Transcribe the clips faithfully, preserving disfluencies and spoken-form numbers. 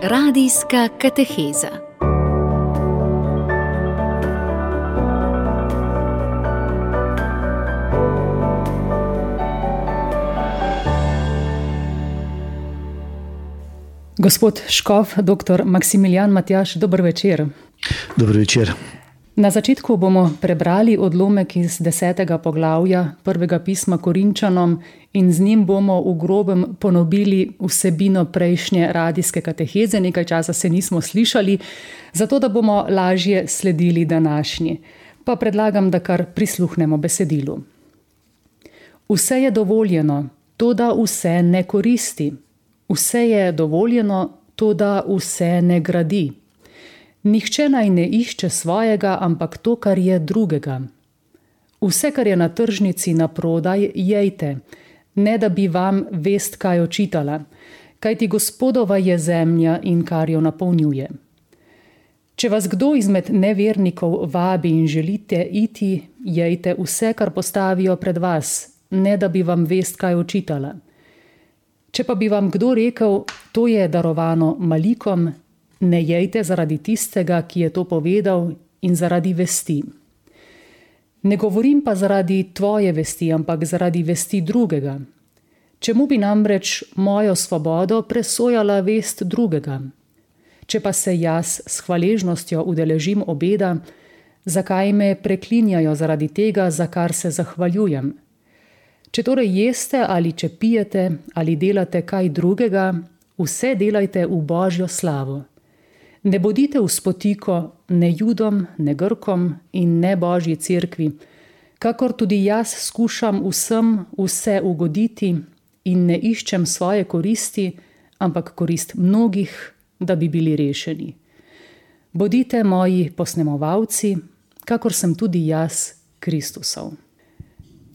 Radijska kateheza. Gospod škof, doktor Maksimilijan Matjaž, dober večer. Dober večer. Na začetku bomo prebrali odlomek iz desetega poglavja prvega pisma Korinčanom in z njim bomo v grobem ponovili vsebino prejšnje radijske kateheze. Nekaj časa se nismo slišali, zato da bomo lažje sledili današnji. Pa predlagam, da kar prisluhnemo besedilu. Vse je dovoljeno, toda vse ne koristi. Vse je dovoljeno, toda vse ne gradi. Nihče naj ne išče svojega, ampak to, kar je drugega. Vse, kar je na tržnici na prodaj, jejte, ne da bi vam vest kaj očitala, kajti Gospodova je zemlja in kar jo napolnjuje. Če vas kdo izmed nevernikov vabi in želite iti, jejte vse, kar postavijo pred vas, ne da bi vam vest kaj očitala. Če pa bi vam kdo rekel, to je darovano malikom, ne jejte zaradi tistega, ki je to povedal, in zaradi vesti. Ne govorim pa zaradi tvoje vesti, ampak zaradi vesti drugega. Čemu bi namreč mojo svobodo presojala vest drugega? Če pa se jaz s hvaležnostjo udeležim obeda, zakaj me preklinjajo zaradi tega, za kar se zahvaljujem? Če torej jeste ali če pijete ali delate kaj drugega, vse delajte v Božjo slavo. Ne bodite v spotiko ne Judom, ne Grkom in ne Božji cerkvi, kakor tudi jaz skušam vsem vse ugoditi in ne iščem svoje koristi, ampak korist mnogih, da bi bili rešeni. Bodite moji posnemovalci, kakor sem tudi jaz Kristusov.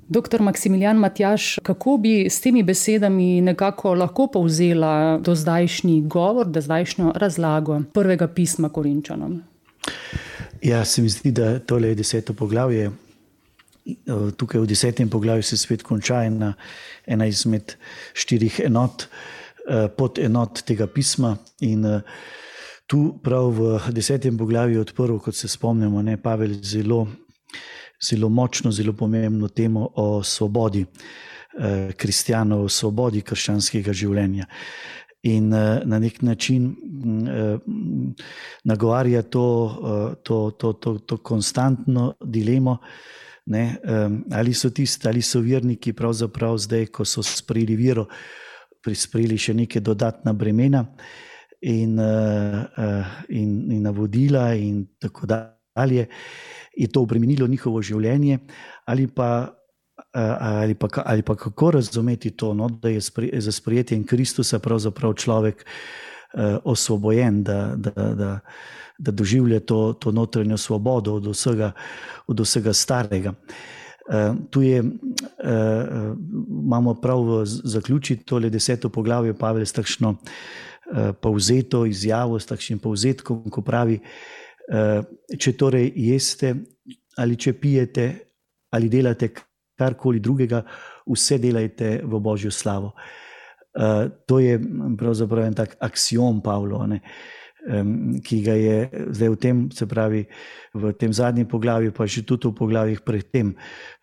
Doktor Maksimilijan Matjaž, kako bi s temi besedami nekako lahko povzela dozdajšnji govor, dozdajšnjo razlago prvega pisma Korinčanom? Ja, se mi zdi, da tole je deseto poglavje. Tukaj v desetem poglavju se svet konča ena, ena izmed štirih enot, podenot tega pisma. In tu prav v desetem poglavju odprl, kot se spomnimo, ne, Pavel zelo zelo močno, zelo pomembno temo o svobodi eh, kristjanov, o svobodi krščanskega življenja. In eh, na nek način eh, nagovarja to, eh, to, to, to, to konstantno dilemo, ne, eh, ali so tisti, ali so verniki pravzaprav zdaj, ko so sprejeli vero, prisprejeli še neke dodatna bremena in, eh, in, in navodila in tako dalje, je to obremenilo njihovo življenje, ali pa, ali pa, ali pa kako razumeti to, no, da je za sprejetjem Kristusa pravzaprav človek uh, osvobojen, da, da, da, da doživlja to, to notranjo svobodo od vsega, od vsega starega. Uh, tu je, uh, imamo prav zaključiti tole deseto poglavje, Pavel s takšno uh, povzeto izjavo, s takšnim povzetkom, ko pravi, če torej jeste ali če pijete ali delate karkoli drugega, vse delajte v Božjo slavo. To je pravzaprav en tak aksiom Pavlo, ne, ki ga je zdaj v tem, se pravi v tem zadnjem poglavju, pa že tudi v poglavjih pred tem,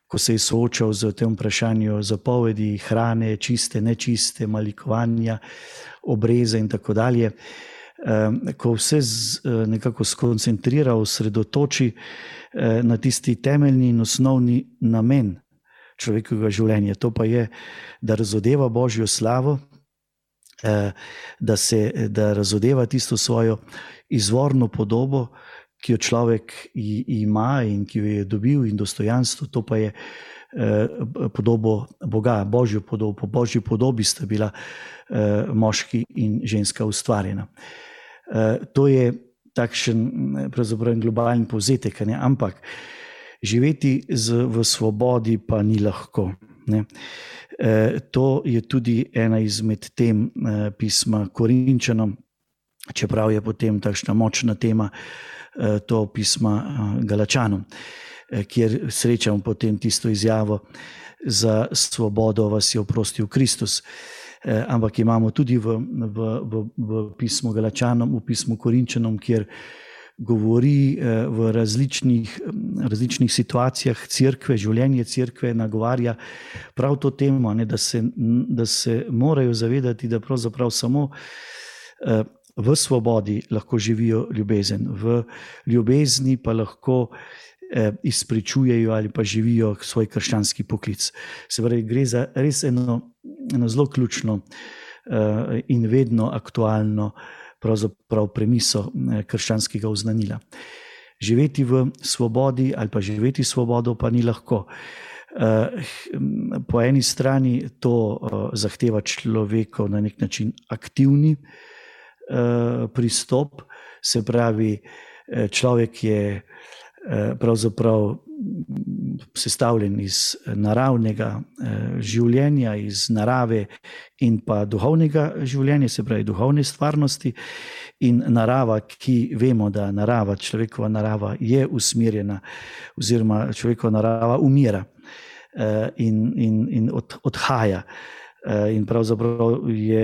ko se je soočal z tem vprašanjem zapovedi, hrane, čiste, nečiste, malikovanja, obreze in tako dalje. Ko vse nekako skoncentrira, osredotoči na tisti temeljni in osnovni namen človekovega življenja. To pa je, da razodeva Božjo slavo, da, se, da razodeva tisto svojo izvorno podobo, ki jo človek ima in ki jo je dobil, in dostojanstvo, to pa je podobo Boga, Božjo podobo. Po Božji podobi sta bila moški in ženska ustvarjena. To je takšen pravzaprav globalni povzetek, ne? Ampak živeti z, v svobodi pa ni lahko. Ne? To je tudi ena izmed tem pisma Korinčanom, čeprav je potem takšna močna tema to pisma Galačanom, kjer srečamo potem tisto izjavo: za svobodo vas je oprostil Kristus. ampak imamo tudi v, v, v, v pismu Galačanom, v pismu Korinčanom, kjer govori v različnih, različnih situacijah cerkve, življenje cerkve nagovarja prav to temo, ne, da, se, da se morajo zavedati, da pravzaprav samo v svobodi lahko živijo ljubezen, v ljubezni pa lahko izpričujejo ali pa živijo svoj krščanski poklic. Se pravi, gre za res eno, eno zelo ključno in vedno aktualno pravzaprav premiso krščanskega oznanila. Živeti v svobodi ali pa živeti svobodo pa ni lahko. Po eni strani to zahteva človekov na nek način aktivni pristop, se pravi, človek je pravzaprav sestavljen iz naravnega življenja, iz narave in pa duhovnega življenja, se pravi duhovne stvarnosti, in narava, ki vemo, da narava, človekova narava je usmerjena oziroma človekova narava umira in, in, in od, odhaja. In pravzaprav je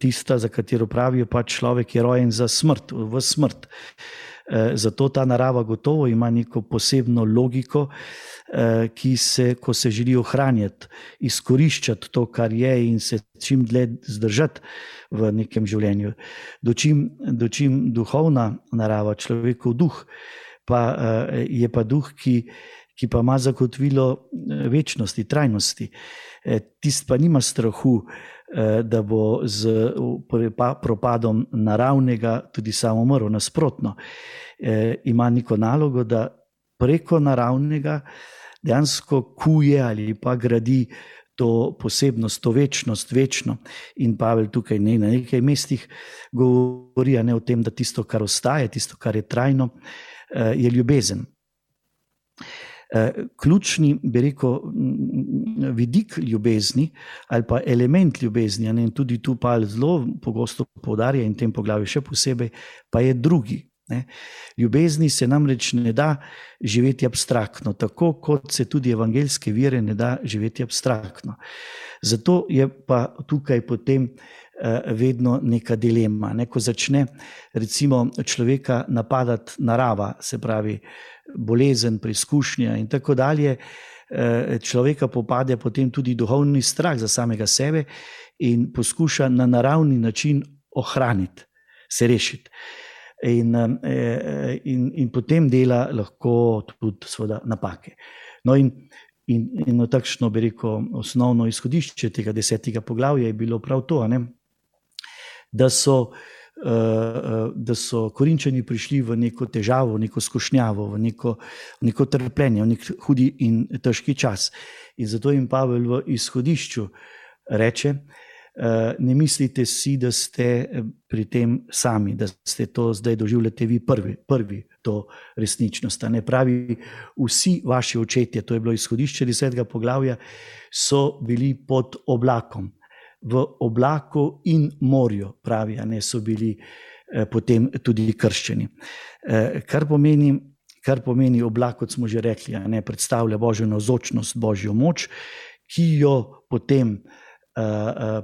tista, za katero pravijo, pa človek je rojen za smrt, v smrt. Zato ta narava gotovo ima neko posebno logiko, ki se, ko se želi ohranjati, izkoriščati to, kar je, in se čim dlje zdržati v nekem življenju. Dočim, dočim duhovna narava, človekov duh, pa je pa duh, ki, ki pa ima zagotovilo večnosti, trajnosti. Tist pa nima strahu, da bo z propadom naravnega tudi sam umrl. Nasprotno, ima neko nalogo, da preko naravnega dejansko kuje ali pa gradi to posebnost, to večnost, večno. In Pavel tukaj ne, na nekaj mestih govori, ne, o tem, da tisto, kar ostaje, tisto, kar je trajno, je ljubezen. Ključni, bi rekel, vidik ljubezni ali pa element ljubezni, ne, in tudi tu Pavel zelo pogosto poudarja in v tem poglavju še posebej, pa je drugi. Ne. Ljubezni se namreč ne da živeti abstraktno, tako kot se tudi evangeljske vere ne da živeti abstraktno. Zato je pa tukaj potem vedno neka dilema. Ne, ko začne recimo človeka napadati narava, se pravi bolezen, preizkušnja in tako dalje, človeka popade potem tudi duhovni strah za samega sebe in poskuša na naravni način ohraniti, se rešiti. In, in, in potem dela lahko tudi seveda napake. No in, in, in takšno, bi rekel, osnovno izhodišče tega desetega poglavja je bilo prav to, ne? Da so, da so Korinčani prišli v neko težavo, v neko skušnjavo, v neko, v neko trpljenje, v nek hudi in težki čas. In zato jim Pavel v izhodišču reče, ne mislite si, da ste pri tem sami, da ste to zdaj doživljate vi prvi, prvi to resničnost. Ne pravi, vsi vaši očetje, to je bilo izhodišče desetega poglavja, so bili pod oblakom. V oblaku in morju, pravi, a ne, so bili eh, potem tudi krščeni. Eh, kar pomeni, kar pomeni oblak, kot smo že rekli, a ne, predstavlja Božjo navzočnost, Božjo moč, ki jo potem eh, eh,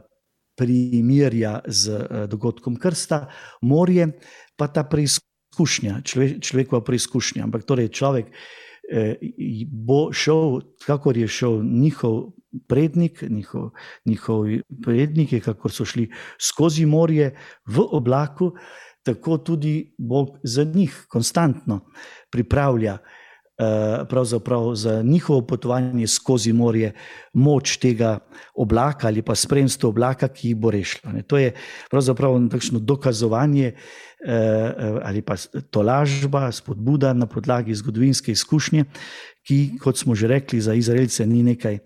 primerja z eh, dogodkom krsta, morje pa ta preizkušnja, človek, človekova preizkušnja. Ampak torej človek eh, bo šel, kakor je šel njihov prednik, njihov, njihovi predniki, kakor so šli skozi morje v oblaku, tako tudi Bog za njih konstantno pripravlja pravzaprav za njihovo potovanje skozi morje moč tega oblaka ali pa spremstvo oblaka, ki jih bo rešilo. To je pravzaprav takšno dokazovanje ali pa tolažba, spodbuda na podlagi zgodovinske izkušnje, ki, kot smo že rekli, za Izraelce ni nekaj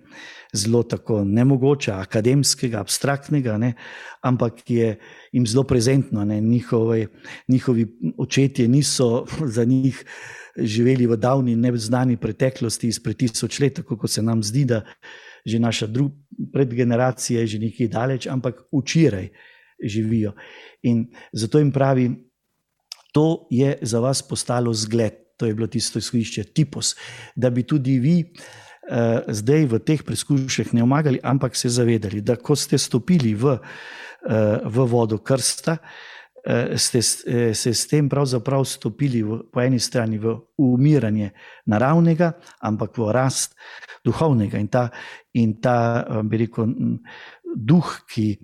zelo tako nemogoče, akademskega, abstraktnega, ne, ampak je jim zelo prezentno. Ne, njihovi, njihovi očetje niso za njih živeli v davni neznani preteklosti izpred tisoč let, tako kot se nam zdi, da že naša drug, predgeneracija je že nekaj daleč, ampak včeraj živijo. In zato jim pravi, to je za vas postalo zgled, to je bilo tisto izhodišče, tipos, da bi tudi vi zdaj v teh preizkušnjah ne omagali, ampak se zavedali, da ko ste stopili v, v vodo krsta, ste se s tem pravzaprav stopili v, po eni strani v umiranje naravnega, ampak v rast duhovnega. In ta, in ta bi rekel, duh, ki,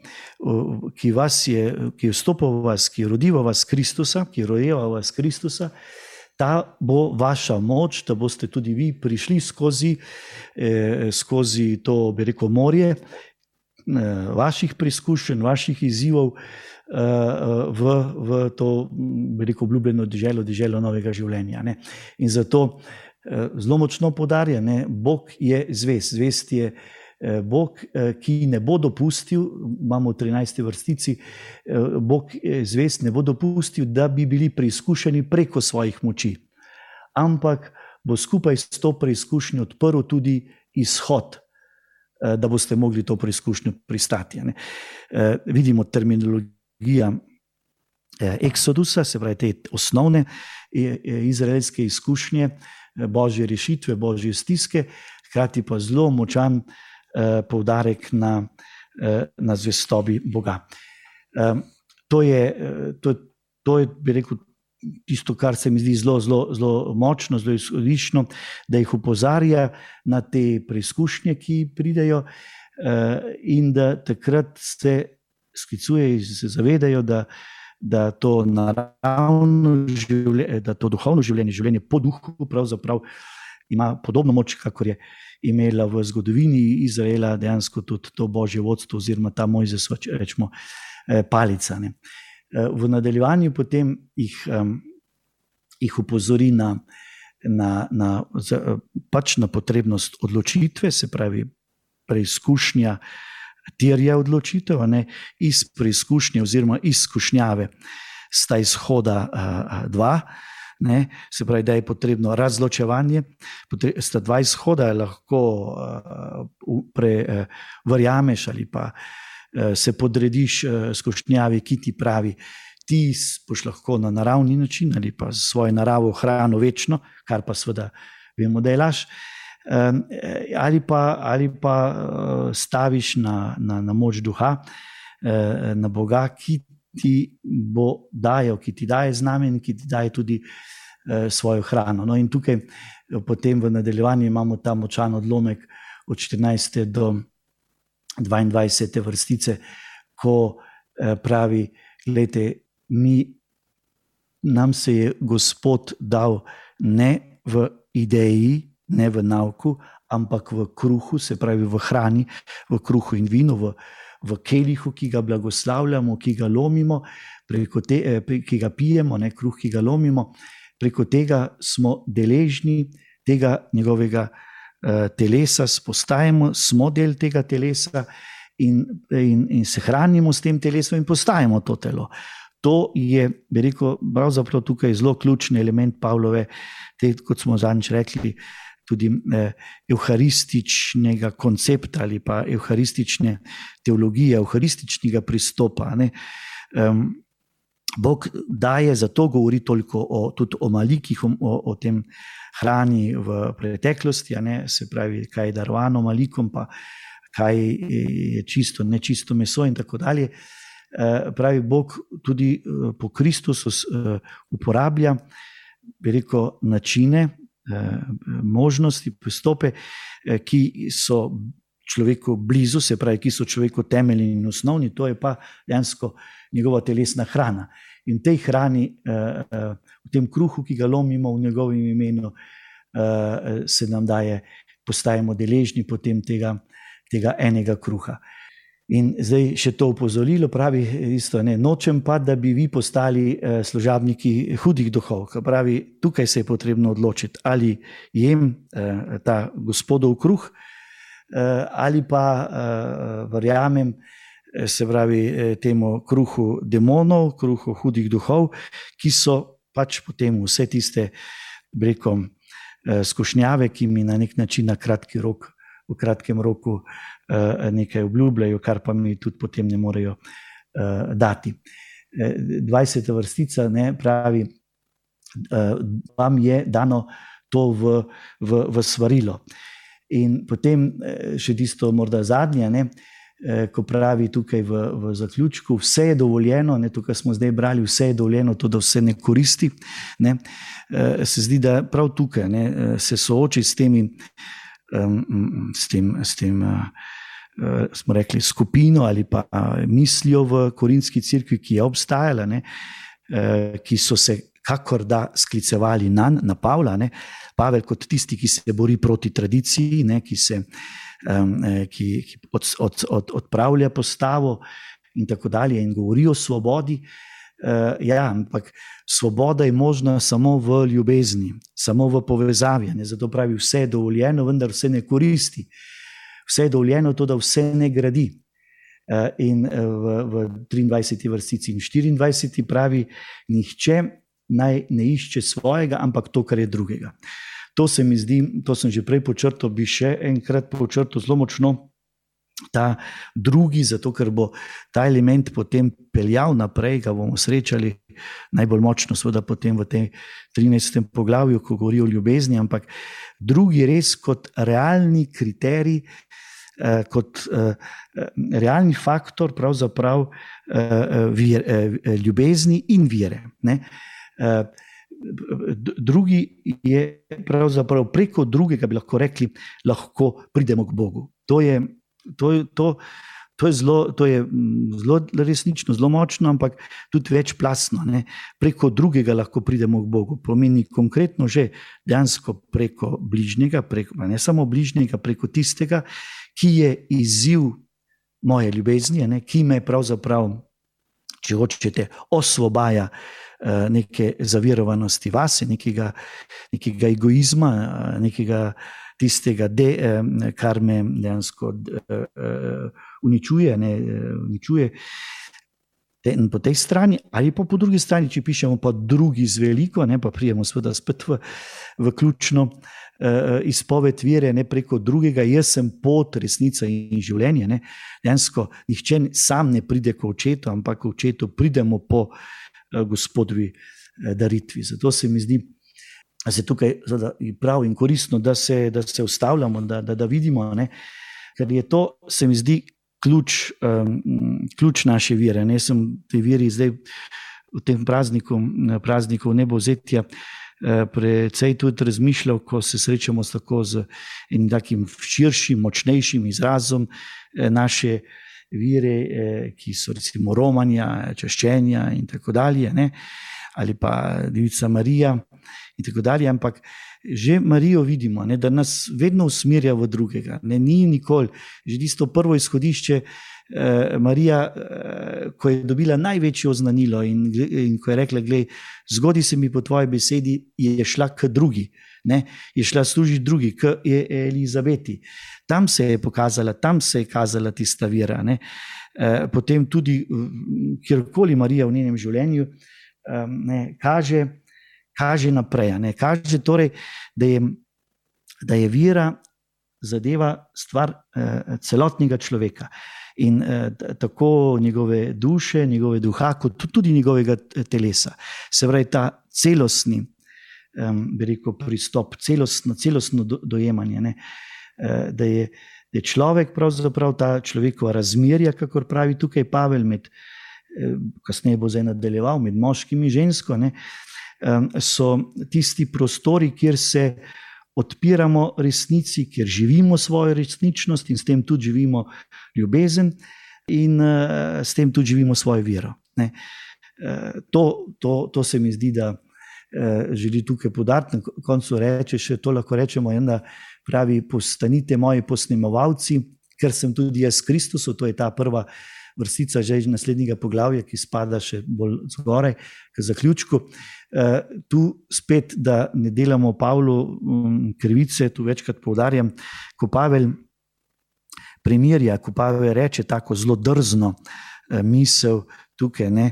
ki vas je, ki je vstopil v vas, ki je rodil v vas Kristusa, ki je rojeva v vas Kristusa, ta bo vaša moč, da boste tudi vi prišli skozi, eh, skozi to, bi rekel, morje eh, vaših preizkušenj, vaših izzivov eh, v, v to, bi rekel, obljubljeno deželo, deželo novega življenja. Ne? In zato eh, zelo močno poudarja, ne, Bog je zvest, zvest je Bog, ki ne bo dopustil, imamo v trinajsti vrstici, Bog zvest ne bo dopustil, da bi bili preizkušeni preko svojih moči, ampak bo skupaj s to preizkušnjo odprl tudi izhod, da boste mogli to preizkušnjo pristati. Ne? Vidimo terminologija Eksodusa, se pravi te osnovne izraelske izkušnje, božje rešitve, božje stiske, hkrati pa zelo močan poudarek na, na zvestobi Boga. To je, to, to je, bi rekel, tisto, kar se mi zdi zelo, zelo, zelo močno, zelo izhodiščno, da jih opozarja na te preizkušnje, ki pridejo, in da takrat se sklicuje in se zavedajo, da, da to naravno življenje, da to duhovno življenje, življenje po duhu pravzaprav ima podobno moč, kakor je imela v zgodovini Izraela dejansko tudi to božje vodstvo oziroma ta Mojzes, rečemo, palica. Ne. V nadaljevanju potem jih, jih upozori na, na, na, pač na potrebnost odločitve, se pravi preizkušnja terja odločitev, ne, iz preizkušnje oziroma izkušnjave sta izhoda a, dva, ne, se pravi, da je potrebno razločevanje, potre, sta dva izhoda, lahko uh, pre, uh, verjameš ali pa uh, se podrediš uh, skušnjavi, ki ti pravi, ti boš lahko na naravni način ali pa svojo naravo hrano večno, kar pa seveda vemo, da je laž, um, ali pa, ali pa uh, staviš na, na, na moč duha, uh, na Boga, ki ti bo dajal, ki ti daje znamen, ki ti daje tudi eh, svojo hrano. No in tukaj potem v nadaljevanju imamo ta močan odlomek od štirinajste do dvaindvajsete vrstice, ko eh, pravi, glejte, mi, nam se je Gospod dal ne v ideji, ne v nauku, ampak v kruhu, se pravi v hrani, v kruhu in vinu, v v kelihu, ki ga blagoslavljamo, ki ga lomimo, preko te, ki ga pijemo, ne, kruh, ki ga lomimo, preko tega smo deležni tega njegovega uh, telesa, postajamo, smo del tega telesa in, in, in se hranimo s tem telesom in postajamo to telo. To je, bi rekel, pravzaprav tukaj zelo ključni element Pavlove, te, kot smo zadnjič rekli, tudi eh, evharističnega koncepta ali pa evharistične teologije, evharističnega pristopa. Ne. Um, Bog daje, zato govori toliko o, tudi o malikih, o, o tem hrani v preteklosti, a ne, se pravi, kaj je darovano malikom, pa kaj je čisto, nečisto meso in tako dalje. Uh, pravi, Bog tudi uh, po Kristusu uh, uporablja, bi rekel, načine, možnosti, pristope, ki so človeku blizu, se pravi, ki so človeku temeljni in osnovni, to je pa dejansko njegova telesna hrana. In tej hrani, v tem kruhu, ki ga lomimo v njegovem imenu, se nam daje, postajamo deležni potem tega, tega enega kruha. In zdaj še to opozorilo pravi isto, ne, nočem pa, da bi vi postali eh, služabniki hudih duhov. Pravi, tukaj se je potrebno odločiti, ali jem eh, ta Gospodov kruh, eh, ali pa eh, verjamem, eh, se pravi, eh, temu kruhu demonov, kruhu hudih duhov, ki so pač potem vse tiste, brekom, eh, skušnjave, ki mi na nek način na kratki rok, v kratkem roku uh, nekaj obljubljajo, kar pa mi tudi potem ne morejo uh, dati. dvajseta vrstica, ne, pravi, uh, vam je dano to v, v, v svarilo. In potem še tisto morda zadnje, ne, ko pravi tukaj v, v zaključku, vse je dovoljeno, ne, tukaj smo zdaj brali, vse je dovoljeno, to, da vse ne koristi, ne, se zdi, da prav tukaj, ne, se sooči s temi, s tem, s tem smo rekli, skupino ali pa mislijo v Korinski cerkvi, ki je obstajala, ne, ki so se kakor da sklicevali na, na Pavla, ne, Pavel kot tisti, ki se bori proti tradiciji, ne, ki se um, ki, ki od, od, od, odpravlja postavo in tako dalje in govori o svobodi. Uh, ja, ampak svoboda je možna samo v ljubezni, samo v povezavi, ne, zato pravi, vse je dovoljeno, vendar vse ne koristi. Vse je dovoljeno, to, da vse ne gradi. Uh, in v, v triindvajseti vrstici in štiriindvajseti pravi, nihče naj ne išče svojega, ampak to, kar je drugega. To se mi zdi, to sem že prej počrtal, bi še enkrat počrtal zelo močno, ta drugi, zato ker bo ta element potem peljal naprej, ga bomo srečali najbolj močno, seveda potem v tem trinajstem poglavju, ko govori o ljubezni, ampak drugi res kot realni kriterij, eh, kot eh, realni faktor pravzaprav eh, vir, eh, ljubezni in vere, ne. Uh, drugi je pravzaprav preko drugega, bi lahko rekli, lahko pridemo k Bogu. To je, to, to, to je, zelo, to je zelo resnično, zelo močno, ampak tudi večplastno, ne. Preko drugega lahko pridemo k Bogu. Pomeni konkretno že dejansko preko bližnjega, preko, ne samo bližnjega, preko tistega, ki je izziv moje ljubezni, ne, ki me pravzaprav, če hočete, osvobaja neke zavirovanosti vase, nekega, nekega egoizma, nekega tistega, de, kar me dejansko uničuje, ne, uničuje. In po tej strani, ali pa po drugi strani, če pišemo pa drugi z veliko, ne, pa prijemo seveda spet v, v ključno izpoved vere, ne, preko drugega, jaz sem pot, resnica in življenje. Ne. Dejansko nihče sam ne pride k očetu, ampak k očetu pridemo po Gospodovi daritvi. Zato se mi zdi, da se tukaj prav in koristno, da se, da se ustavljamo, da, da, da vidimo, ne? Ker je to, se mi zdi, ključ, um, ključ naše vere. Ne? Sem te veri zdaj v tem prazniku, prazniku nebovzetja precej tudi razmišljal, ko se srečamo s tako z enim takim širšim, močnejšim izrazom naše vire, ki so recimo romanja, čaščenja in tako dalje, ne? Ali pa Devica Marija in tako dalje, ampak že Marijo vidimo, ne? Da nas vedno usmerja v drugega, ne? Ni nikoli, že tisto prvo izhodišče, eh, Marija, eh, ko je dobila največje oznanilo in, in ko je rekla, glej, zgodi se mi po tvoji besedi, je šla k drugi, ne? Je šla služiti drugi, k Elizabeti. Tam se je pokazala, tam se je kazala tista vera, ne? E, potem tudi, kjerkoli Marija v njenem življenju ne, kaže, kaže naprej, ne? Kaže torej, da je, da je vera zadeva stvar eh, celotnega človeka in eh, tako njegove duše, njegove duha, kot tudi njegovega telesa. Se pravi, ta celostni, eh, bi rekel, pristop, celostno, celostno do, dojemanje, ne? Da je, da je človek pravzaprav ta človekova razmerja, kakor pravi tukaj Pavel, med, kasneje bo zdaj nadaljeval, med moškim in žensko, ne, so tisti prostori, kjer se odpiramo resnici, kjer živimo svojo resničnost in s tem tudi živimo ljubezen in s tem tudi živimo svojo vero. Ne. To, to, to se mi zdi, da želi tukaj poudariti, na koncu reče, še to lahko rečemo, ena pravi, postanite moji posnemovalci, ker sem tudi jaz Kristusu, to je ta prva vrstica že iz naslednjega poglavja, ki spada še bolj zgoraj k zaključku. Tu spet, da ne delamo Pavlu krivice, tu večkrat poudarjam, ko Pavel primerja, ko Pavel reče tako zelo drzno misel tukaj, ne,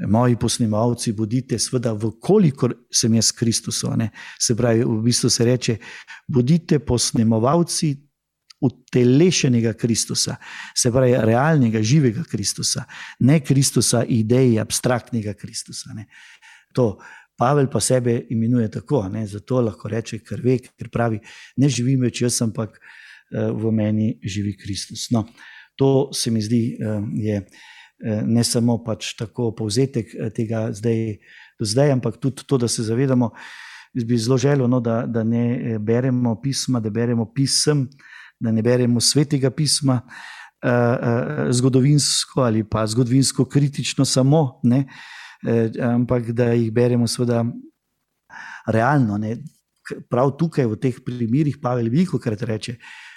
moji posnemovalci bodite, seveda, vkolikor sem jaz Kristusu, ne, se pravi, v bistvu se reče, bodite posnemovalci utelešenega Kristusa, se pravi, realnega, živega Kristusa, ne Kristusa ideji, abstraktnega Kristusa, ne. To Pavel pa sebe imenuje tako, ne? Zato lahko reče, ker ve, ker pravi, ne živim več jaz, ampak v meni živi Kristus. No, to se mi zdi, je ne samo pač tako povzetek tega zdaj do zdaj, ampak tudi to, da se zavedamo. Jaz bi zelo želel, no, da, da ne beremo pisma, da beremo pisem, da ne beremo svetega pisma uh, uh, zgodovinsko ali pa zgodovinsko kritično samo, ne, uh, ampak da jih beremo seveda realno. Ne. Prav tukaj v teh primerih Pavel velikokrat reče,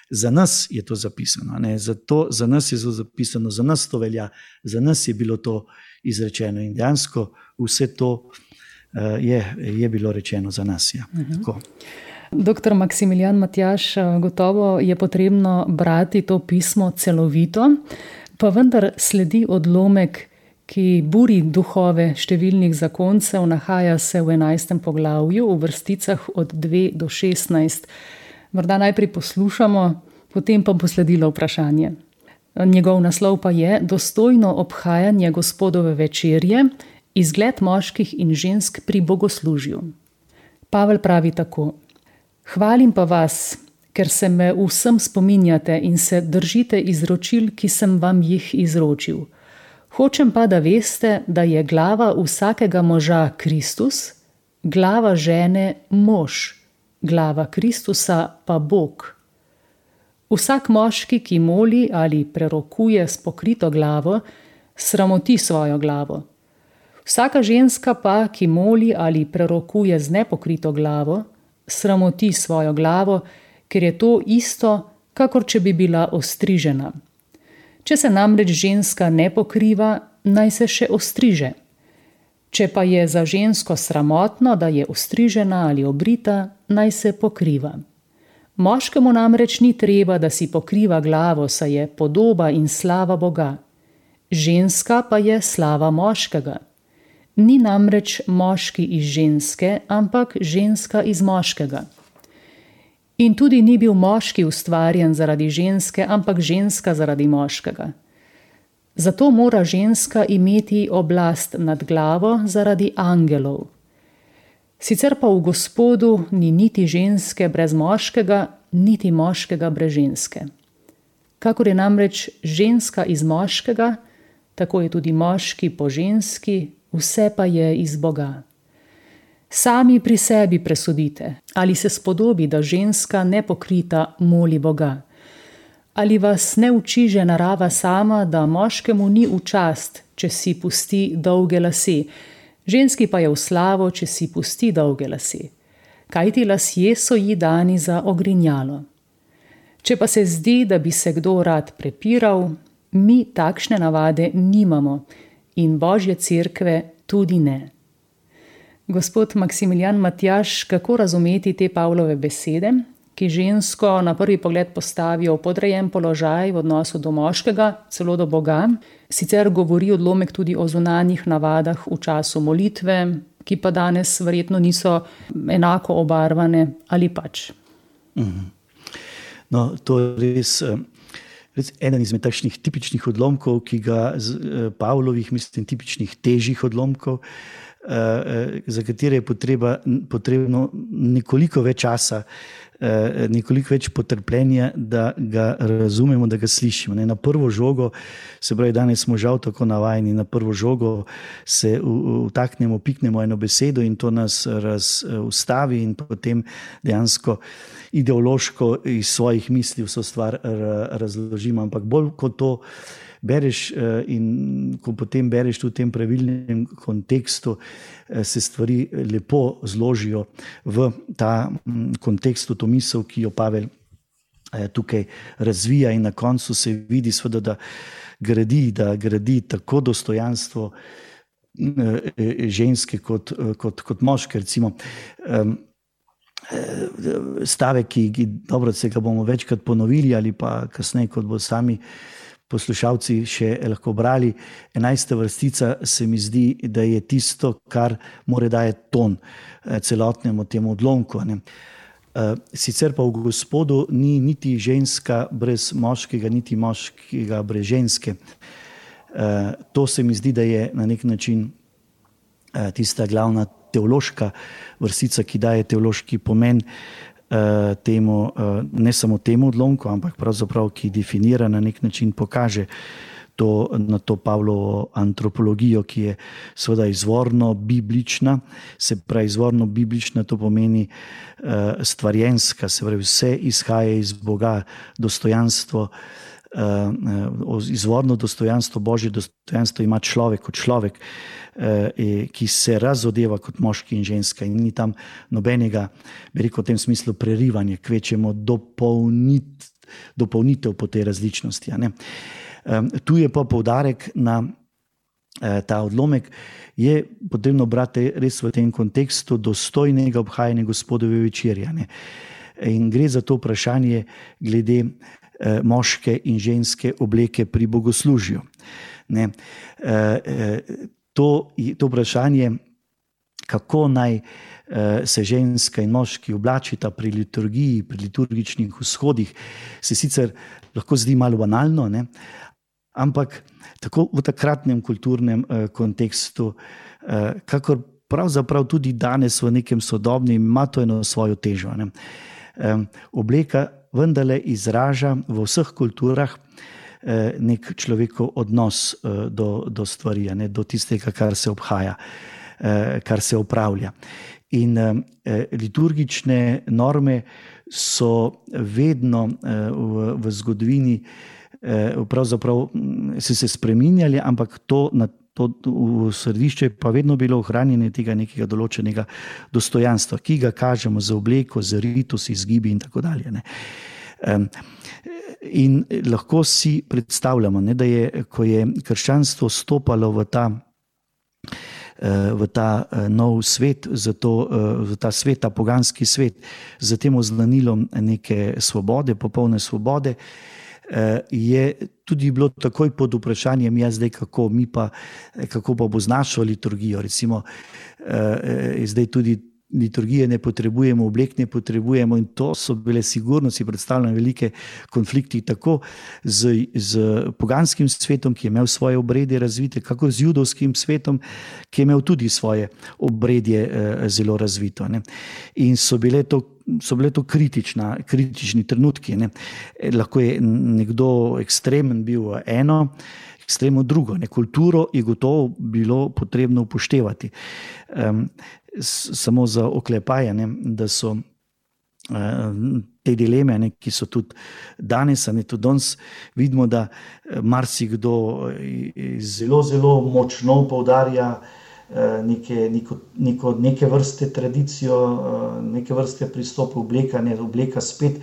za nas je to zapisano, ne, za, to, za nas je to zapisano, za nas to velja, za nas je bilo to izrečeno in dejansko vse to uh, je, je bilo rečeno za nas. Ja. Uh-huh. Tako. Doktor Maksimilijan Matjaž, gotovo je potrebno brati to pismo celovito, pa vendar sledi odlomek, ki buri duhove številnih zakoncev, nahaja se v enajstem poglavju, v vrsticah od dve do šestnajst. Morda najprej poslušamo, potem pa bo sledilo vprašanje. Njegov naslov pa je Dostojno obhajanje Gospodove večerje, izgled moških in žensk pri bogoslužju. Pavel pravi tako: Hvalim pa vas, ker se me vsem spominjate in se držite izročil, ki sem vam jih izročil. Hočem pa, da veste, da je glava vsakega moža Kristus, glava žene mož, glava Kristusa pa Bog. Vsak moški, ki moli ali prerokuje s pokrito glavo, sramoti svojo glavo. Vsaka ženska pa, ki moli ali prerokuje z nepokrito glavo, sramoti svojo glavo, ker je to isto, kakor če bi bila ostrižena. Če se namreč ženska ne pokriva, naj se še ostriže. Če pa je za žensko sramotno, da je ostrižena ali obrita, naj se pokriva. Moškemu namreč ni treba, da si pokriva glavo, saj je podoba in slava Boga. Ženska pa je slava moškega. Ni namreč moški iz ženske, ampak ženska iz moškega. In tudi ni bil moški ustvarjen zaradi ženske, ampak ženska zaradi moškega. Zato mora ženska imeti oblast nad glavo zaradi angelov. Sicer pa v Gospodu ni niti ženske brez moškega, niti moškega brez ženske. Kakor je namreč ženska iz moškega, tako je tudi moški po ženski, vse pa je iz Boga. Sami pri sebi presodite, ali se spodobi, da ženska nepokrita moli Boga. Ali vas ne uči že narava sama, da moškemu ni v čast, če si pusti dolge lase, ženski pa je v slavo, če si pusti dolge lase. Kajti lasje so ji dani za ogrinjalo. Če pa se zdi, da bi se kdo rad prepiral, mi takšne navade nimamo in Božje cerkve tudi ne. Gospod Maksimilijan Matjaž, kako razumeti te Pavlove besede, ki žensko na prvi pogled postavijo v podrejen položaj v odnosu do moškega, celo do Boga? Sicer govori odlomek tudi o zunanjih navadah v času molitve, ki pa danes verjetno niso enako obarvane, ali pač? No, to je res, res eden izmed takšnih tipičnih odlomkov, ki ga Pavlovih, mislim, tipičnih težjih odlomkov, za katere je potreba, potrebno nekoliko več časa, nekoliko več potrpljenja, da ga razumemo, da ga slišimo. Na prvo žogo, se pravi, danes smo žal tako navajeni, na prvo žogo se vtaknemo, piknemo eno besedo in to nas ustavi in potem dejansko ideološko iz svojih misli vso stvar razložimo. Ampak bolj kot to bereš in ko potem bereš v tem pravilnem kontekstu, se stvari lepo zložijo v ta kontekst, v to misel, ki jo Pavel tukaj razvija in na koncu se vidi seveda, da gradi, da gradi tako dostojanstvo ženske kot, kot, kot moške, recimo. Stavek, ki, ki dobro, se ga bomo večkrat ponovili ali pa kasneje, kot bo sami poslušalci še lahko brali. Enajsta vrstica se mi zdi, da je tisto, kar mora dajati ton celotnemu temu odlomku. Ne. Sicer pa v Gospodu ni niti ženska brez moškega, niti moškega brez ženske. To se mi zdi, da je na nek način tista glavna teološka vrstica, ki daje teološki pomen uh, temu, uh, ne samo temu odlomku, ampak pravzaprav, ki definira na nek način, pokaže to, na to Pavlovo antropologijo, ki je seveda izvorno biblična. Se pravi, izvorno biblična to pomeni uh, stvarjenska, se pravi, vse izhaja iz Boga, dostojanstvo, uh, izvorno dostojanstvo, Božje dostojanstvo ima človek kot človek, ki se razodeva kot moški in ženska, in ni tam nobenega, bi rekel, v tem smislu prerivanja, kvečemo dopolnit, dopolnitev po tej različnosti. Ne? Tu je pa poudarek na ta odlomek, je potrebno brati res v tem kontekstu dostojnega obhajanja Gospodove večerje. Ne? In gre za to vprašanje glede moške in ženske obleke pri bogoslužju. Ne? To, to vprašanje, kako naj uh, se ženska in moški oblačita pri liturgiji, pri liturgičnih vzhodih, se sicer lahko zdi malo banalno, ne? Ampak tako v takratnem kulturnem uh, kontekstu, uh, kakor pravzaprav tudi danes v nekem sodobnem, ima to eno svojo težo. Ne? Um, obleka vendarle izraža v vseh kulturah nek človekov odnos do, do stvari, ne, do tistega, kar se obhaja, kar se opravlja. In liturgične norme so vedno v, v zgodovini pravzaprav se, se spreminjali, ampak to, na, to v središču je pa vedno bilo ohranjanje tega nekega določenega dostojanstva, ki ga kažemo z obleko, z ritusi, z gibi in tako dalje. Ne. In lahko si predstavljamo, ne, da je, ko je krščanstvo stopalo v ta, v ta nov svet, zato, v ta svet, ta poganski svet, z tem oznanilom neke svobode, popolne svobode, je tudi bilo takoj pod vprašanjem, ja zdaj kako, mi pa, kako pa bo z našo liturgijo, recimo zdaj tudi liturgije ne potrebujemo, oblek ne potrebujemo, in to so bile sigurno, si predstavljam, velike konflikti tako z, z poganskim svetom, ki je imel svoje obredje razvite, kako z judovskim svetom, ki je imel tudi svoje obredje eh, zelo razvito. Ne. In so bile to, so bile to kritična, kritični trenutki. Ne. Lahko je nekdo ekstremen bil eno, ekstremno drugo. Ne. Kulturo je gotovo bilo potrebno upoštevati. Um, samo za oklepaje, ne, da so uh, te dileme, ne, ki so tudi danes, ne, tudi danes vidimo, da marsikdo zelo, zelo močno poudarja uh, neke, neko, neko, neke vrste tradicijo, uh, neke vrste pristopa, obleka, ne, obleka spet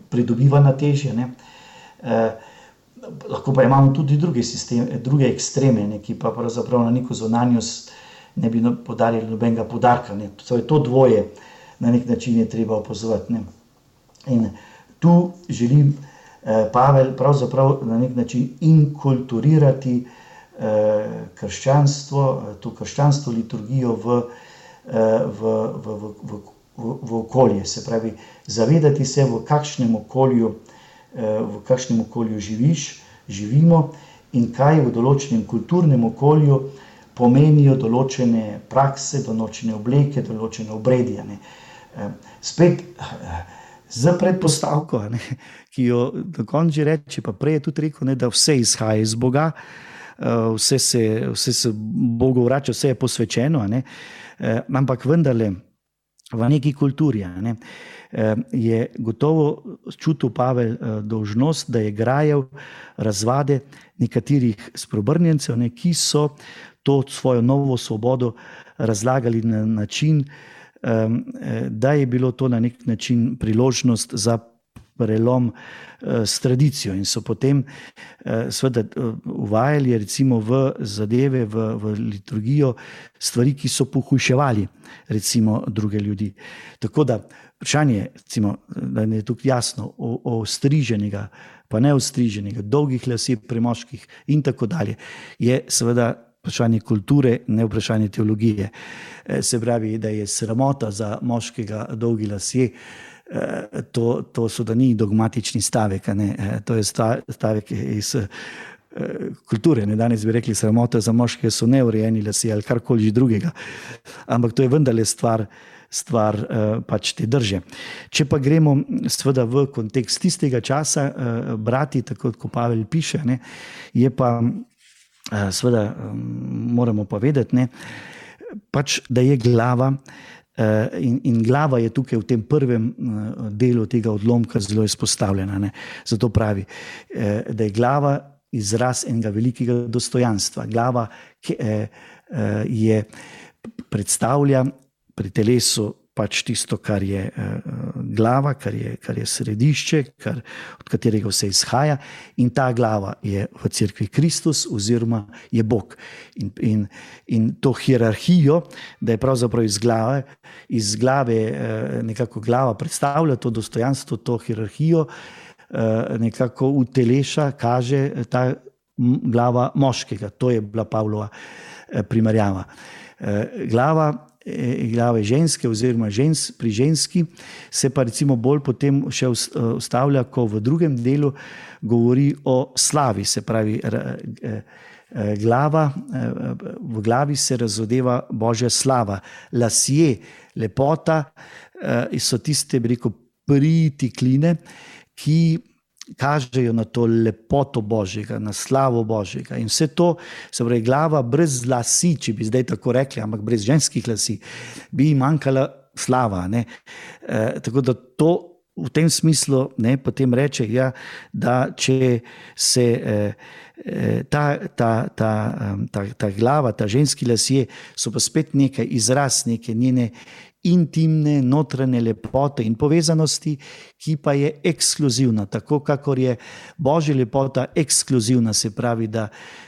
pridobiva na težje. Ne. Uh, lahko pa imamo tudi druge, sisteme, druge ekstreme, ne, ki pa pravzaprav na neko zunanjost ne bi podarili nobenega podarka. Ne. To je to dvoje, na nek način je treba opazovati. Ne. In tu želim eh, Pavel pravzaprav na nek način inkulturirati eh, krščanstvo, to krščanstvo liturgijo v, eh, v, v, v, v, v, v okolje. Se pravi, zavedati se, v kakšnem okolju, eh, v kakšnem okolju živiš, živimo in kaj v določenem kulturnem okolju pomenijo določene prakse, določene obleke, določene obredje. Ne. Spet z predpostavko, ne, ki jo do konca že reče, pa prej je tudi rekel, ne, da vse izhaja iz Boga, vse se, vse se Bogu vrača, vse je posvečeno, ne, ampak vendarle v neki kulturi, ne, je gotovo čutil Pavel dolžnost, da je grajal razvade nekaterih spreobrnjencev, ne, ki so to svojo novo svobodo razlagali na način, da je bilo to na nek način priložnost za prelom s tradicijo in so potem seveda uvajali recimo v zadeve, v, v liturgijo stvari, ki so pohujševali recimo druge ljudi. Tako da vprašanje, recimo, da je tukaj jasno, o, o striženega, pa ne ostriženega, dolgih lasje pri moških in tako dalje, je seveda vprašanje kulture, ne vprašanje teologije. Se pravi, da je sramota za moškega dolgi lasje, to, to so da ni dogmatični stavek, ne? To je stavek iz kulture. Ne? Danes bi rekli, sramota za moške so neurejeni lasje ali karkoli drugega. Ampak to je vendarle stvar, stvar pač te drže. Če pa gremo seveda v kontekst tistega časa, brati, tako kot Pavel piše, ne, je pa seveda moramo povedati, ne, pač, da je glava in, in glava je tukaj v tem prvem delu tega odlomka zelo izpostavljena. Ne. Zato pravi, da je glava izraz enega velikega dostojanstva. Glava je predstavlja pri telesu pač tisto, kar je glava, kar je, kar je središče, kar, od katerega vse izhaja, in ta glava je v cerkvi Kristus oziroma je Bog. In, in, in to hierarhijo, da je pravzaprav iz glave, iz glave nekako glava predstavlja to dostojanstvo, to hierarhijo, nekako uteleša, kaže ta glava moškega. To je bila Pavlova primerjava. Glava glave ženske oziroma žens, pri ženski se pa recimo bolj potem še ustavlja, ko v drugem delu govori o slavi, se pravi glava, v glavi se razodeva Božja slava. Lasje, lepota so tiste, bi rekel, pritikline, ki kažejo na to lepoto Božjega, na slavo Božjega. In vse to, se pravi, glava brez lasi, če bi zdaj tako rekli, ampak brez ženskih lasi, bi manjkala slava. Ne? E, tako da to v tem smislu, ne, potem reče, ja, da če se e, ta, ta, ta, ta, ta glava, ta ženski lasje so pa spet nekaj izraz, neke njene intimne, notranje lepote in povezanosti, ki pa je ekskluzivna. Tako kakor je Božja lepota ekskluzivna, se pravi, da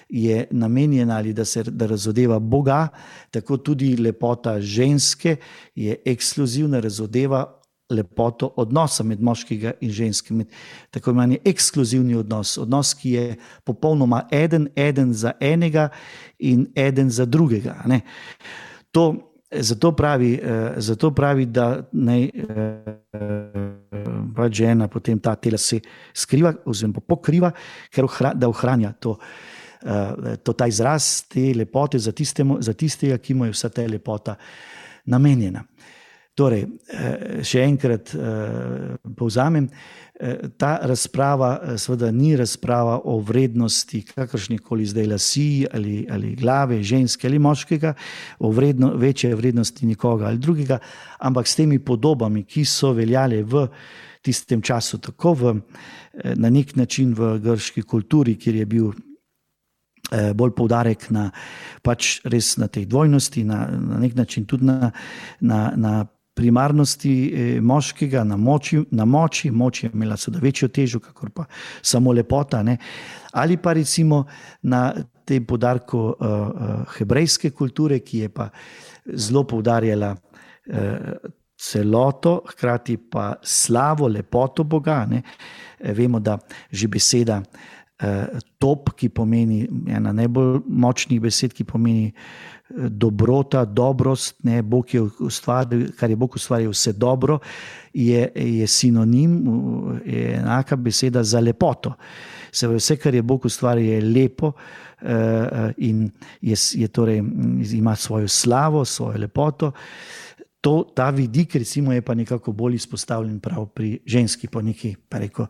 je namenjena ali da se da razodeva Boga, tako tudi lepota ženske je ekskluzivna, razodeva lepoto odnosa med moškega in ženskim. Tako imen je ekskluzivni odnos, odnos, ki je popolnoma eden, eden za enega in eden za drugega. Ne? To Zato pravi, zato pravi, da naj pač žena potem ta tela se skriva oziroma pokriva, ker da ohranja to, to ta izraz te lepote za, tistemu, za tistega, ki mu je vsa ta lepota namenjena. Torej, še enkrat povzamem, ta razprava seveda ni razprava o vrednosti kakršnikoli zdaj lasi ali, ali glave, ženske ali moškega, o vredno, večje vrednosti nikoga ali drugega, ampak s temi podobami, ki so veljale v tistem času, tako v, na nek način v grški kulturi, kjer je bil bolj poudarek na pač res na tej dvojnosti, na, na nek način tudi na, na, na primarnosti moškega, na moči, na moči, moč je imela seveda večjo težo, kakor pa samo lepota, ne? Ali pa recimo na tem poudarku uh, uh, hebrejske kulture, ki je pa zelo poudarjala uh, celoto, hkrati pa slavo, lepoto Boga. Ne? Vemo, da že beseda uh, top, ki pomeni ena najbolj močnih besed, ki pomeni dobrota, dobrost, ne, Bog je ustvaril, kar je Bog ustvaril vse dobro, je, je sinonim, je enaka beseda za lepoto. Se pravi, vse, kar je Bog ustvaril, je lepo uh, in je, je torej, ima svojo slavo, svojo lepoto. To, ta vidik recimo je pa nekako bolj izpostavljen prav pri ženski, po, neki, pa reko,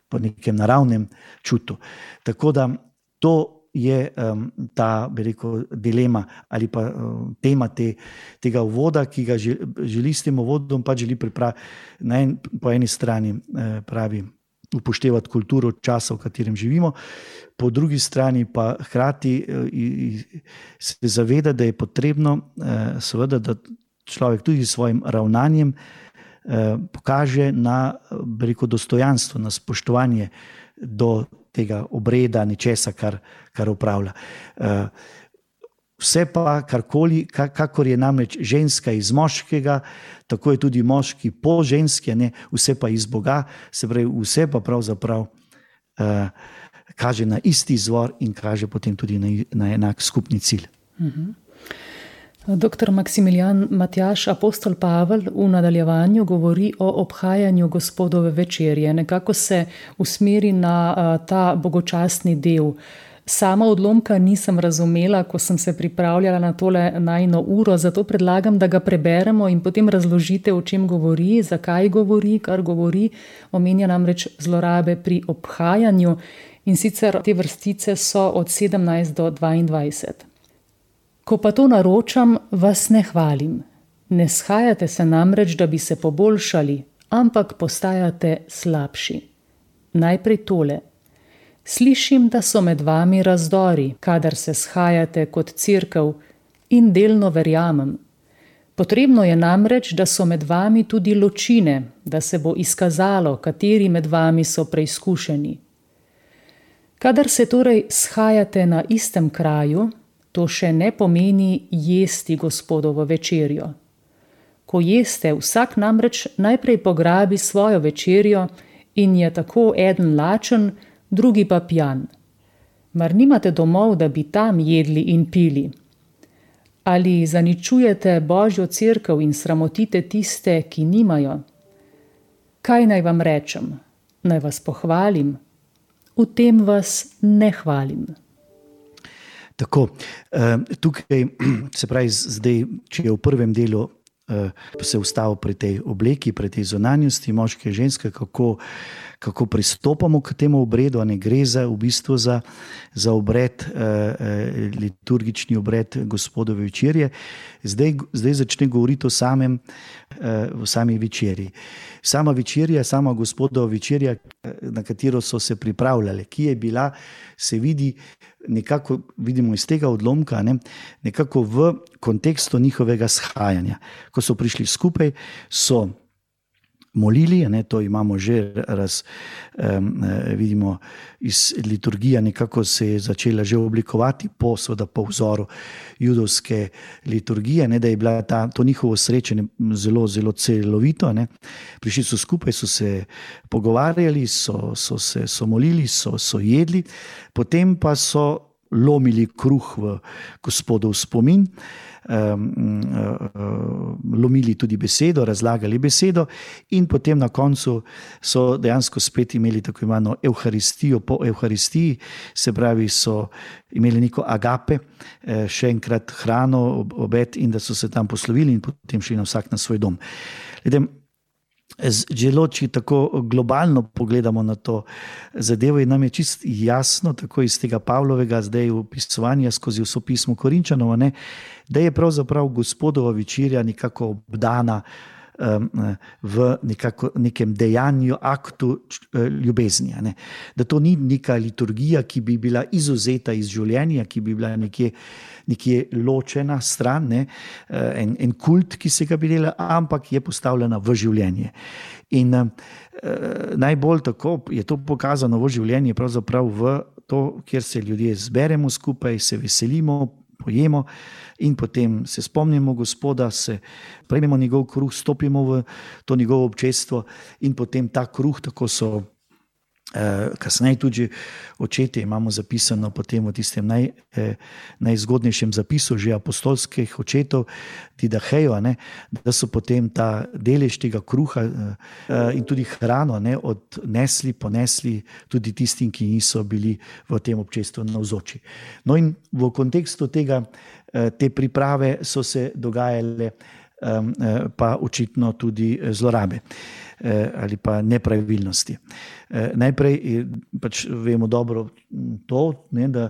po nekem naravnem čutu. Tako da to je um, ta, bi rekel, dilema ali pa um, tema te, tega uvoda, ki ga želi, želi s tem uvodom pa želi pripraviti na en, po eni strani eh, pravi upoštevati kulturo časa, v katerem živimo, po drugi strani pa hkrati eh, se zaveda, da je potrebno eh, seveda, da človek tudi s svojim ravnanjem eh, pokaže na, bi rekel, dostojanstvo, na spoštovanje do tega obreda, ničesa, kar, kar upravlja. Vse pa, karkoli, kakor je namreč ženska iz moškega, tako je tudi moški po ženski, ne, vse pa iz Boga, se pravi, vse pa pravzaprav uh, kaže na isti izvor in kaže potem tudi na, na enak skupni cilj. Mhm. Doktor Maksimilijan Matjaž, apostol Pavel v nadaljevanju govori o obhajanju Gospodove večerje. Nekako se usmeri na ta bogočastni del. Sama odlomka nisem razumela, ko sem se pripravljala na tole najino uro, zato predlagam, da ga preberemo in potem razložite, o čem govori, zakaj govori, kar govori. Omenja namreč zlorabe pri obhajanju in sicer te vrstice so od sedemnajst do dvaindvajset. Ko pa to naročam, vas ne hvalim. Ne shajate se namreč, da bi se poboljšali, ampak postajate slabši. Najprej tole. Slišim, da so med vami razdori, kadar se shajate kot cerkev, in delno verjamem. Potrebno je namreč, da so med vami tudi ločine, da se bo izkazalo, kateri med vami so preizkušeni. Kadar se torej shajate na istem kraju, to še ne pomeni jesti Gospodovo večerjo. Ko jeste, vsak namreč najprej pograbi svojo večerjo in je tako eden lačen, drugi pa pijan. Mar nimate domov, da bi tam jedli in pili? Ali zaničujete Božjo cerkev in sramotite tiste, ki nimajo? Kaj naj vam rečem? Naj vas pohvalim? V tem vas ne hvalim. Tako, tukaj, se pravi, zdaj, če je v prvem delu se ustavil pri tej obleki, pri tej zunanjosti moške in ženske, kako, kako pristopamo k temu obredu, a ne gre za, v bistvu za, za obred, liturgični obred Gospodove večerje. Zdaj, zdaj začne govoriti o samem, o sami večerji. Sama večerja, sama Gospodova večerja, na katero so se pripravljali, ki je bila, se vidi, nekako vidimo iz tega odlomka, ne, nekako v kontekstu njihovega shajanja. Ko so prišli skupaj, so molili, ne, to imamo že raz, um, vidimo iz liturgije, nekako se je začela že oblikovati po, seveda po vzoru judovske liturgije, ne, da je bila ta, to njihovo srečanje zelo, zelo celovito. Ne. Prišli so skupaj, so se pogovarjali, so, so se so molili, so, so jedli, potem pa so lomili kruh v Gospodov spomin, Um, uh, lomili tudi besedo, razlagali besedo in potem na koncu so dejansko spet imeli tako imeno evharistijo po evharistiji, se pravi so imeli neko agape, eh, še enkrat hrano, obed in da so se tam poslovili in potem šli na vsak na svoj dom. Ledem, Zelo, če tako globalno pogledamo na to zadevo, in nam je čisto jasno, tako iz tega Pavlovega zdaj opisovanja skozi vso pismo Korinčanov, ne, da je pravzaprav Gospodova večerja nekako obdana um, v nekako, nekem dejanju, aktu ljubezni. Ne. Da to ni neka liturgija, ki bi bila izuzeta iz življenja, ki bi bila nekje nekje ločena stran, ne, en, en kult, ki se ga bi delala, ampak je postavljena v življenje. In eh, najbolj tako je to pokazano v življenje, pravzaprav v to, kjer se ljudje zberemo skupaj, se veselimo, pojemo in potem se spomnimo Gospoda, se prejmemo njegov kruh, stopimo v to njegovo občestvo in potem ta kruh, tako so kasneje tudi očetje imamo zapisano potem v tistem naj, eh, najzgodnejšem zapisu že apostolskih očetov Didahejo, ne, da so potem ta delež tega kruha eh, in tudi hrano, ne, odnesli, ponesli tudi tistim, ki niso bili v tem občestvu navzoči. No in v kontekstu tega, eh, te priprave so se dogajale eh, pa očitno tudi zlorabe ali pa nepravilnosti. Najprej pač vemo dobro to, ne, da,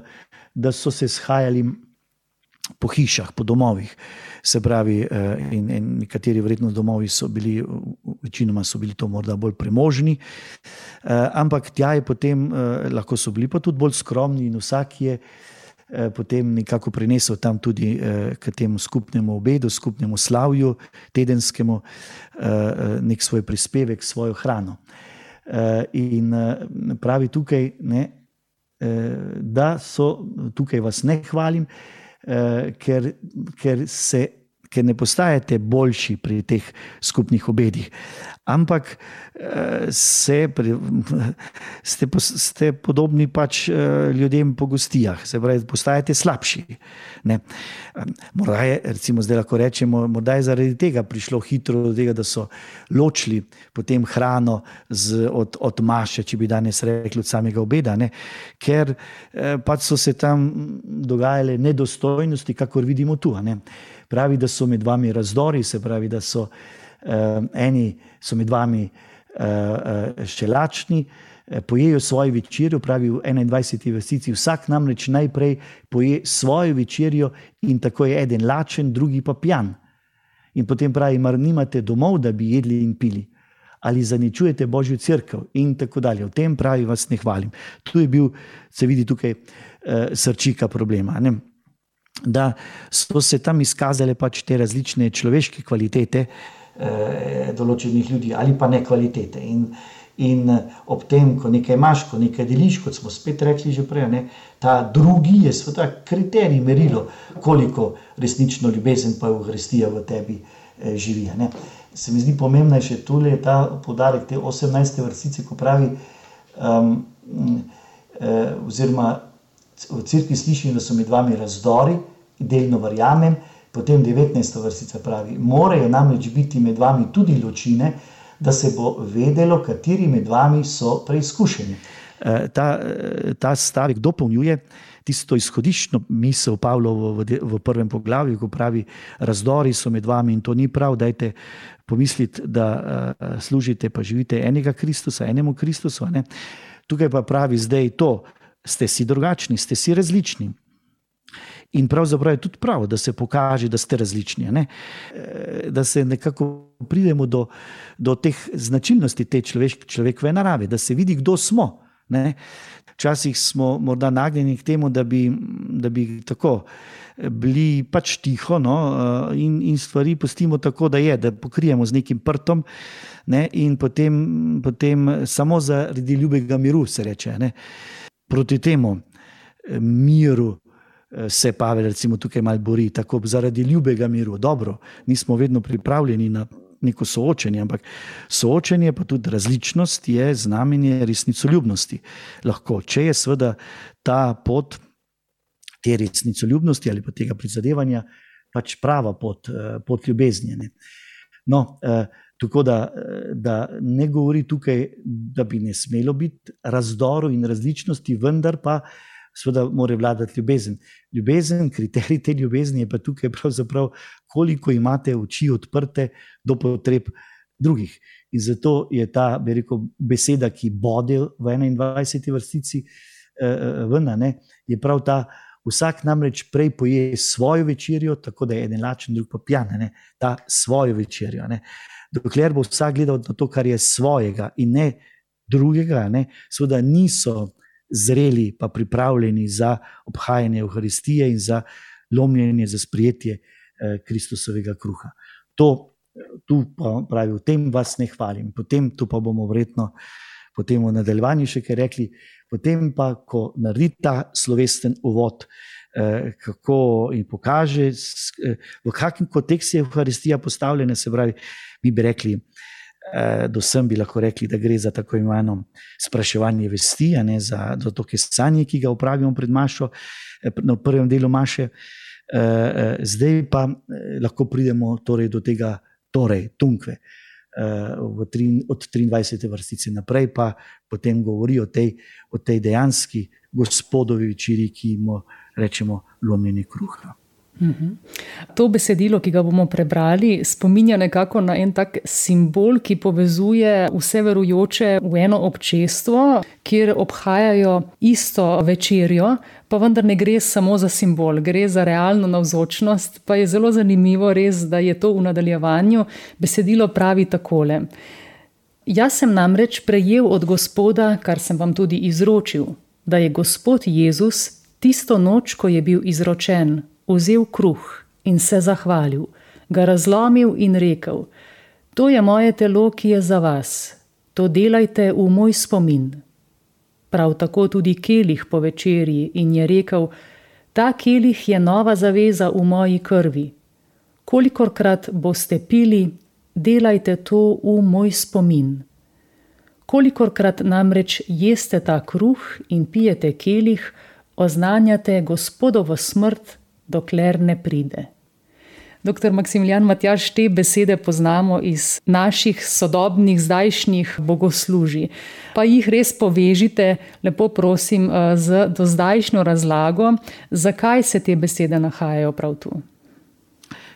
da so se shajali po hišah, po domovih, se pravi, in, in nekateri vredno domovi so bili, večinoma so bili to morda bolj premožni, ampak tja je potem, lahko so bili pa tudi bolj skromni in vsak je potem nekako prinesel tam tudi k temu skupnemu obedu, skupnemu slavju, tedenskemu, nek svoj prispevek, svojo hrano. In pravi tukaj, ne, da so, tukaj vas ne hvalim, ker, ker, se, ker ne postajate boljši pri teh skupnih obedih, ampak se, ste, ste podobni pač ljudem po gostijah, se pravi, postajate slabši. Ne. Morda je, recimo zdaj lahko rečemo, morda je zaradi tega prišlo hitro do tega, da so ločili potem hrano z, od, od maše, če bi danes rekli, od samega obeda, ne. Ker pač so se tam dogajale nedostojnosti, kakor vidimo tu. Ne. Pravi, da so med vami razdori, se pravi, da so uh, eni so med vami uh, uh, še lačni, pojejo svojo večerjo, pravi v enaindvajseti vrstici, vsak namreč najprej poje svojo večerjo in tako je eden lačen, drugi pa pijan. In potem pravi, mar nimate domov, da bi jedli in pili, ali zaničujete Božjo cerkev in tako dalje. O tem pravi, vas ne hvalim. Tu je bil, se vidi tukaj, uh, srčika problema, ne? Da so se tam izkazale pač te različne človeške kvalitete eh, določenih ljudi ali pa ne kvalitete. In, in ob tem, ko nekaj imaš, ko nekaj deliš, kot smo spet rekli že prej, ne, ta drugi je sveta kriterij, merilo, koliko resnično ljubezen pa Evharistija v tebi eh, živi. Ne. Se mi zdi pomembna je še tule ta poudarek te osemnajste vrstice, ko pravi um, eh, oziroma v cerkvi slišim, da so med vami razdori, delno verjamem, potem devetnajsta vrstica pravi, morajo namreč biti med vami tudi ločine, da se bo vedelo, kateri med vami so preizkušeni. Ta, ta stavek dopolnjuje tisto izhodiščno misel Pavlovo v, v prvem poglavju, ko pravi, razdori so med vami in to ni prav, dajte pomisliti, da uh, služite pa živite enega Kristusa, enemu Kristusu. Ne? Tukaj pa pravi zdaj to, ste si drugačni, ste si različni. In pravzaprav je tudi prav, da se pokaže, da ste različni. Ne? Da se nekako pridemo do, do teh značilnosti te človek, človekove narave, da se vidi, kdo smo. Ne? Včasih smo morda nagnjeni k temu, da bi, da bi tako bili pač tiho, no? in, in stvari pustimo tako, da je, da pokrijemo z nekim prtom, ne? In potem, potem samo zaradi ljubega miru se reče. Ne? Proti temu miru se Pavel recimo tukaj malo bori, tako zaradi ljubega miru. Dobro, nismo vedno pripravljeni na neko soočenje, ampak soočenje pa tudi različnost je znamenje resnicoljubnosti. Lahko, če je seveda ta pot te resnicoljubnosti ali pa tega prizadevanja pač prava pot, pot ljubezni. Ne. No, tako da, da ne govori tukaj, da bi ne smelo biti razdorov in različnosti, vendar pa seveda mora vladati ljubezen. Ljubezen, kriterij te ljubezni je pa tukaj pravzaprav, koliko imate oči odprte do potreb drugih. In zato je ta, bi rekel, beseda, ki bode v enaindvajseti vrstici eh, ven, ne, je prav ta, vsak namreč prej poje svojo večerjo, tako da je eden lačen, drug pa pijan, ne, ta svojo večerjo. Ne. Dokler bo vsak gledal na to, kar je svojega in ne drugega, ne, seveda niso zreli pa pripravljeni za obhajanje Evharistije in za lomljenje, za sprejetje eh, Kristusovega kruha. To, tu pa pravi, v tem vas ne hvalim, potem tu pa bomo verjetno potem v nadaljevanju še kaj rekli, potem pa, ko naredi ta slovesten uvod, eh, kako in pokaže, eh, v kakšnem kontekstu je Evharistija postavljena, se pravi, mi bi rekli, do sem bi lahko rekli, da gre za tako imenovano spraševanje vesti, ne, za, za to kesanje, ki ga opravimo pred mašo, na prvem delu maše. Zdaj pa lahko pridemo torej do tega, torej, tunkve, v tri, od triindvajsete vrstice naprej, pa potem govori o tej, o tej dejanski Gospodovi večerji, ki mu rečemo lomljenje kruha. To besedilo, ki ga bomo prebrali, spominja nekako na en tak simbol, ki povezuje vse verujoče v eno občestvo, kjer obhajajo isto večerjo, pa vendar ne gre samo za simbol, gre za realno navzočnost, pa je zelo zanimivo res, da je to v nadaljevanju. Besedilo pravi takole. Jaz sem namreč prejel od Gospoda, kar sem vam tudi izročil, da je Gospod Jezus tisto noč, ko je bil izročen, vzel kruh in se zahvalil, ga razlomil in rekel, to je moje telo, ki je za vas, to delajte v moj spomin. Prav tako tudi kelih po večerji in je rekel, ta kelih je nova zaveza v moji krvi. Kolikorkrat boste pili, delajte to v moj spomin. Kolikorkrat namreč jeste ta kruh in pijete kelih, oznanjate Gospodovo smrt, dokler ne pride. Doktor Maksimilijan Matjaž, te besede poznamo iz naših sodobnih, zdajšnjih bogoslužij. Pa jih res povežite, lepo prosim, z dozdajšnjo razlago, zakaj se te besede nahajajo prav tu.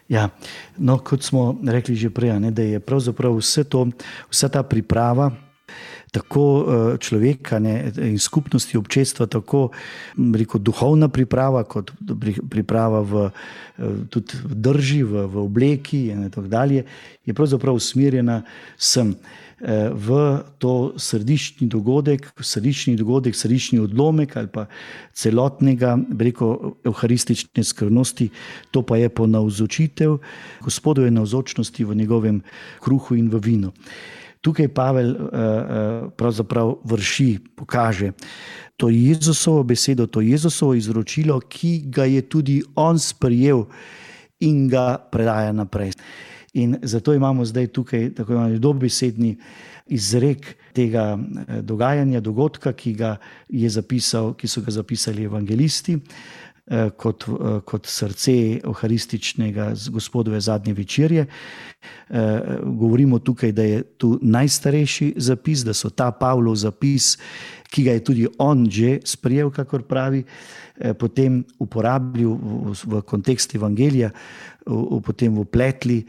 Ja, no, kot smo rekli že prej, ne, da je pravzaprav vse to, vsa ta priprava, tako človeka, ne, in skupnosti občestva, tako rekel, duhovna priprava, kot priprava v, tudi v drži, v, v obleki in tako dalje, je pravzaprav usmerjena sem v to središčni dogodek, središčni dogodek, središčni odlomek ali pa celotnega, rekel, evharistične skrbnosti, to pa je ponavzočitev Gospodove navzočnosti v njegovem kruhu in v vinu. Tukaj Pavel pravzaprav vrši, pokaže to Jezusovo besedo, to Jezusovo izročilo, ki ga je tudi on sprejel in ga predaja naprej. In zato imamo zdaj tukaj tako imamo dobesedni izrek tega dogajanja, dogodka, ki ga je zapisal, ki so ga zapisali evangelisti, kot, kot srce evharističnega Gospodove zadnje večerje. Govorimo tukaj, da je tu najstarejši zapis, da so ta Pavlov zapis, ki ga je tudi on že sprejel, kakor pravi, potem uporabljal v, v kontekst evangelija, v, potem vpletli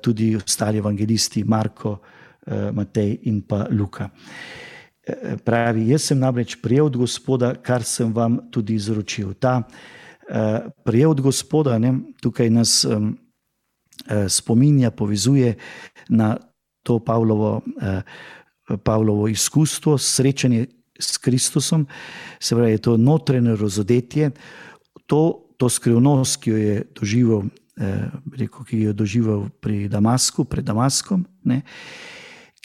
tudi ostali evangelisti Marko, Matej in pa Luka. Pravi, jaz sem namreč prejel od Gospoda, kar sem vam tudi izročil. Ta uh, prejel od Gospoda, ne, tukaj nas um, uh, spominja, povezuje na to Pavlovo, uh, Pavlovo izkustvo, srečanje s Kristusom, se pravi, je to notranje razodetje, to, to skrivnost, ki jo je doživel, uh, rekel, ki jo je doživel pri Damasku, pred Damaskom, ne,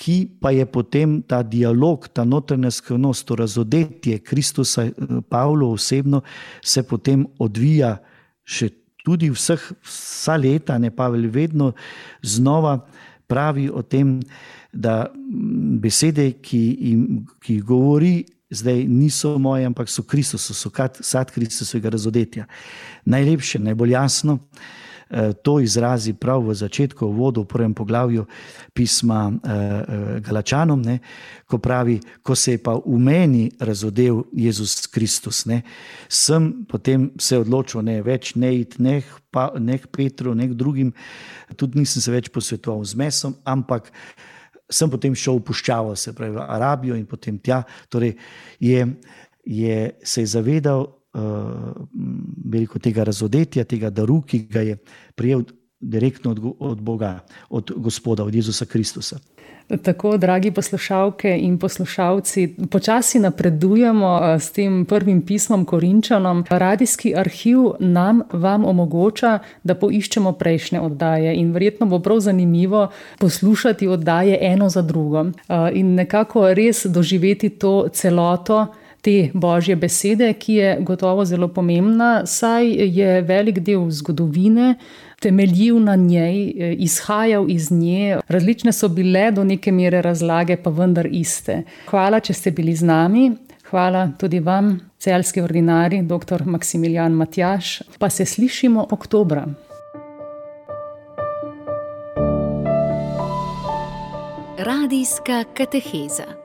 ki pa je potem ta dialog, ta notranja skrivnost, to razodetje Kristusa, Pavlo osebno, se potem odvija še tudi vseh, vsa leta, ne, Pavel vedno znova pravi o tem, da besede, ki, jim, ki govori, zdaj niso moje, ampak so Kristusu, so sad Kristusovega razodetja. Najlepše, najbolj jasno, to izrazi prav v začetku, v uvodu, v prvem poglavju pisma Galačanom, ne, ko pravi, ko se je pa v meni razodel Jezus Kristus, ne, sem potem se odločil, ne, več ne iti, ne k Petru, ne k drugim, tudi nisem se več posvetoval z mesom, ampak sem potem šel v puščavo, se pravi v Arabijo in potem tja, torej je, je se je zavedal veliko tega razodetja, tega daru, ki ga je prijel direktno od, od Boga, od Gospoda, od Jezusa Kristusa. Tako, dragi poslušalke in poslušalci, počasi napredujemo s tem prvim pismom Korinčanom. Radijski arhiv nam vam omogoča, da poiščemo prejšnje oddaje in verjetno bo prav zanimivo poslušati oddaje eno za drugo in nekako res doživeti to celoto te Božje besede, ki je gotovo zelo pomembna, saj je velik del zgodovine temeljil na njej, izhajal iz nje. Različne so bile do neke mere razlage, pa vendar iste. Hvala, če ste bili z nami. Hvala tudi vam, celjski ordinarij, doktor Maksimilijan Matjaž. Pa se slišimo oktobra. Radijska kateheza.